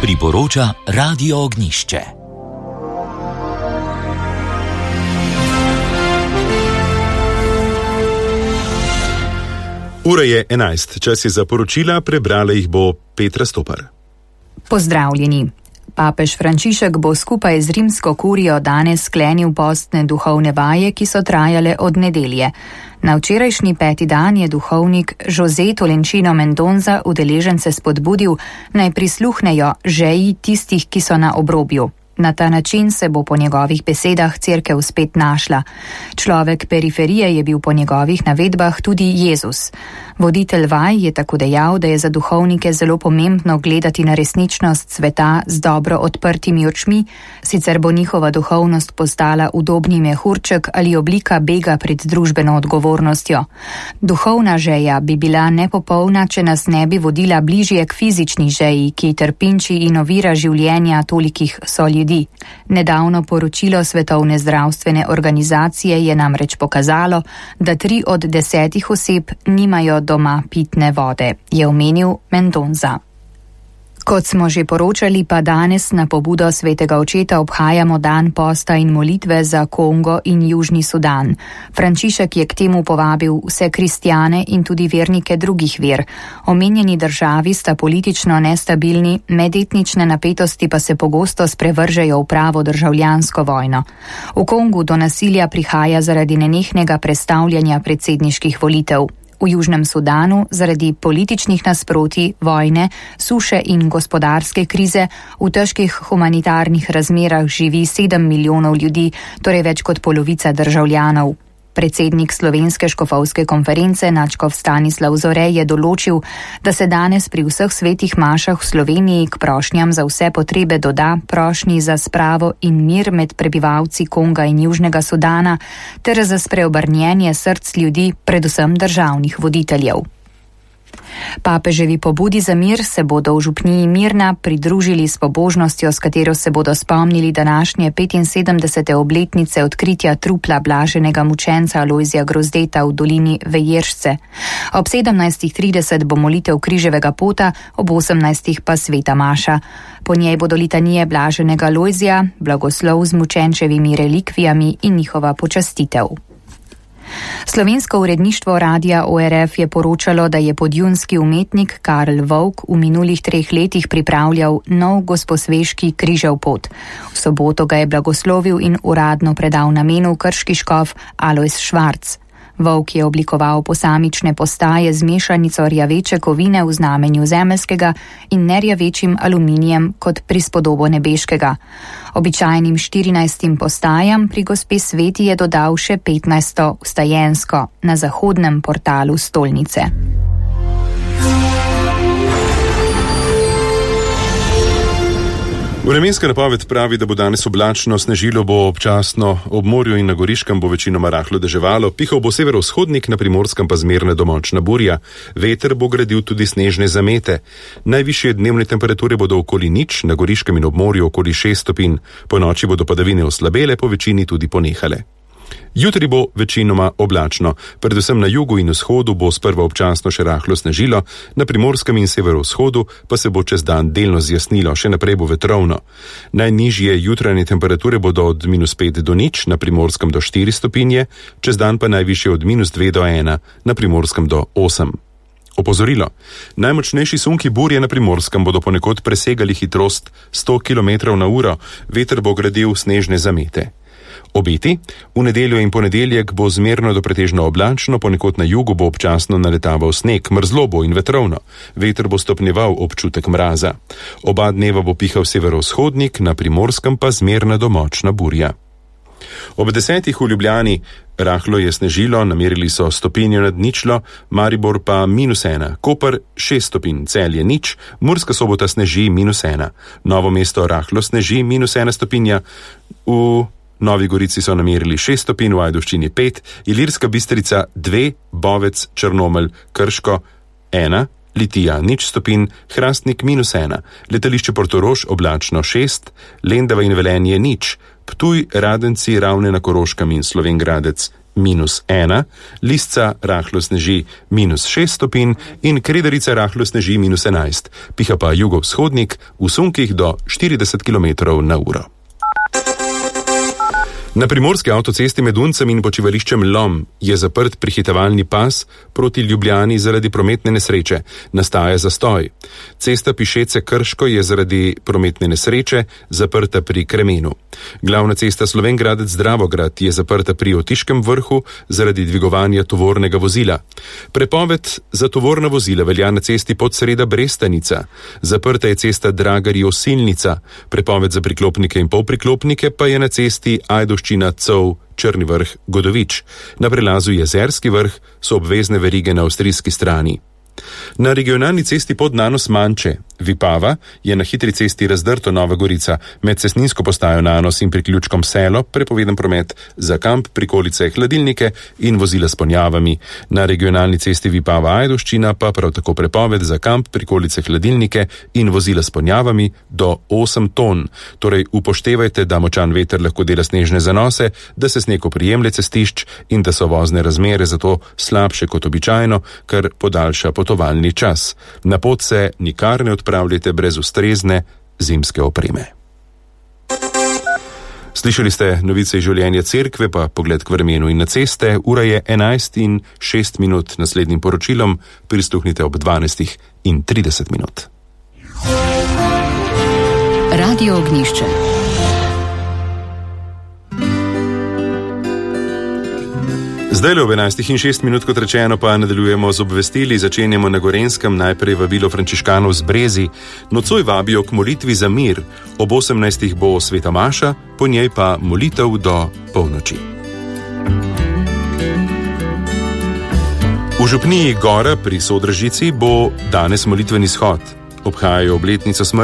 Priporoča Radio Ognjišče. Ura je 11, čas je za poročila, prebrala jih bo Petra Stopar. Pozdravljeni. Papež Frančišek bo skupaj z rimsko kurijo danes sklenil postne duhovne vaje, ki so trajale od nedelje. Na včerajšnji 5. dan je duhovnik José Tolentino Mendonça udeležence spodbudil, naj prisluhnejo žeji tistih, ki so na obrobju. Na ta način se bo po njegovih besedah cerkev spet našla. Človek periferije je bil po njegovih navedbah tudi Jezus. Voditelj vaj je tako dejal, da je za duhovnike zelo pomembno gledati na resničnost sveta z dobro odprtimi očmi, sicer bo njihova duhovnost postala udobni mehurček ali oblika bega pred družbeno odgovornostjo. Duhovna žeja bi bila nepopolna, če nas ne bi vodila bližje k fizični žeji, ki trpinči in ovira življenja tolikih soljudi. Nedavno poročilo Svetovne zdravstvene organizacije je namreč pokazalo, da 3 od 10 oseb nimajo doma pitne vode, je omenil Mendonça. Kot smo že poročali, pa danes na pobudo svetega očeta obhajamo dan posta in molitve za Kongo in Južni Sudan. Frančišek je k temu povabil vse kristjane in tudi vernike drugih ver. Omenjeni državi sta politično nestabilni, medetnične napetosti pa se pogosto sprevržejo v pravo državljansko vojno. V Kongu do nasilja prihaja zaradi nenehnega prestavljanja predsedniških volitev. V Južnem Sudanu zaradi političnih nasprotij, vojne, suše in gospodarske krize v težkih humanitarnih razmerah živi 7 milijonov ljudi, torej več kot polovica državljanov. Predsednik Slovenske škofovske konference nadškof Stanislav Zore je določil, da se danes pri vseh svetih mašah v Sloveniji k prošnjam za vse potrebe doda prošnji za spravo in mir med prebivalci Konga in Južnega Sudana ter za spreobrnjenje src ljudi, predvsem državnih voditeljev. Papeževi pobudi za mir se bodo v župniji Mirna pridružili s pobožnostjo, s katero se bodo spomnili današnje 75. obletnice odkritja trupla blaženega mučenca Alojzija Grozdeta v dolini Vejeršce. Ob 17.30 bo molitev križevega pota, ob 18. pa sveta maša. Po njej bodo litanije blaženega Alojzija, blagoslov z mučenčevimi relikvijami in njihova počastitev. Slovensko uredništvo radia ORF je poročalo, da je podjunski umetnik Karl Vovk v minulih 3 letih pripravljal nov Gosposveški križev pot. V soboto ga je blagoslovil in uradno predal namenu krški škof Alojz Švarc. Vovk je oblikoval posamične postaje z mešanico rjaveče kovine v znamenju zemeljskega in nerjavečim aluminijem kot prispodobo nebeškega. Običajnim 14 postajam pri gospe Sveti je dodal še 15 vstajensko na zahodnem portalu stolnice. Vremenska napoved pravi, da bo danes oblačno, snežilo bo občasno, ob morju in na Goriškem bo večinoma rahlo deževalo, pihal bo severovzhodnik, na Primorskem pa zmerna do močna burja, veter bo gradil tudi snežne zamete. Najvišje dnevne temperature bodo okoli 0, na Goriškem in ob morju okoli 6 stopinj, po noči bodo padavine oslabele, po večini tudi ponehale. Jutri bo večinoma oblačno, predvsem na jugu in vzhodu bo sprva občasno še rahlo snežilo, na Primorskem in severovzhodu pa se bo čez dan delno zjasnilo, še naprej bo vetrovno. Najnižje jutranje temperature bodo od -5 do 0, na Primorskem do 4 stopinje, čez dan pa najvišje od -2 do 1, na Primorskem do 8. Opozorilo. Najmočnejši sunki burje na Primorskem bodo ponekod presegali hitrost 100 km/h, veter bo gradil snežne zamete. Obeti. V nedeljo in ponedeljek bo zmerno do pretežno oblačno, ponekod na jugu bo občasno naletaval sneg, mrzlo bo in vetrovno. Veter bo stopnjeval občutek mraza. Oba dneva bo pihal severovzhodnik, na Primorskem pa zmerna do močna burja. Ob 10. v Ljubljani rahlo je snežilo, namerili so stopinjo nad ničlo, Maribor pa -1, Koper 6 stopinj, Celje 0, Murska Sobota sneži -1, Novo mesto rahlo sneži -1 stopinja, v Novi Gorici so namerili 6 stopinj, v Ajdovščini 5, Ilirska Bistrica 2, Bovec, Črnomelj, Krško 1, Litija 0 stopinj, Hrastnik -1, letališče Portorož oblačno 6, Lendava in Velenje 0, Ptuj, Radenci, Ravne na Koroškem in Slovenj Gradec -1, Lisca rahlo sneži -6 stopinj in Kredarica rahlo sneži -11, piha pa jugovzhodnik v sunkih do 40 km/h. Na primorski avtocesti med Uncem in počivališčem Lom je zaprt prehitevalni pas proti Ljubljani zaradi prometne nesreče. Nastaja zastoj. Cesta Pišece Krško je zaradi prometne nesreče zaprta pri Kremenu. Glavna cesta Slovenj-Gradec-Dravograd je zaprta pri Otiškem vrhu zaradi dvigovanja tovornega vozila. Prepoved za tovorna vozila velja na cesti Podsreda-Brestanica. Zaprta je cesta Dragari-Osilnica. Prepoved za priklopnike in polpriklopnike pa je na cesti Ajdovščina-Cov Črni vrh-Godovič. Na prelazu Jezerski vrh so obvezne verige na avstrijski strani. Na regionalni cesti Podnanos-Manče, Vipava, je na hitri cesti Razdrto Nova Gorica med cestninsko postajo Nanos in priključkom Selo prepoveden promet za kamp, prikolice, hladilnike in vozila s ponjavami. Na regionalni cesti Vipava-Ajdovščina pa prav tako prepoved za kamp, prikolice, hladilnike in vozila s ponjavami do 8 ton. Torej upoštevajte, da močan veter lahko dela snežne zanose, da se sneg oprijemlje cestišč in da so vozne razmere zato slabše kot običajno, kar podaljša potovalni čas. Na pot se nikar ne odpravljajte brez ustrezne zimske opreme. Slišali ste novice iz življenja cerkve, pa pogled k vremenu in na ceste. Ura je 11:06. Naslednjim poročilom prisluhnite ob 12:30. Radio Ognjišče. Zdaj le ob 11:06, kot rečeno, pa nadaljujemo z obvestili. Začenjamo na Gorenjskem, najprej vabilo frančiškanov z Brezi. Nocoj vabijo k molitvi za mir. Ob 18. bo sveta maša, po njej pa molitev do polnoči. V župniji Gora pri Sodražici bo danes molitveni shod. Obhajajo obletnico smrti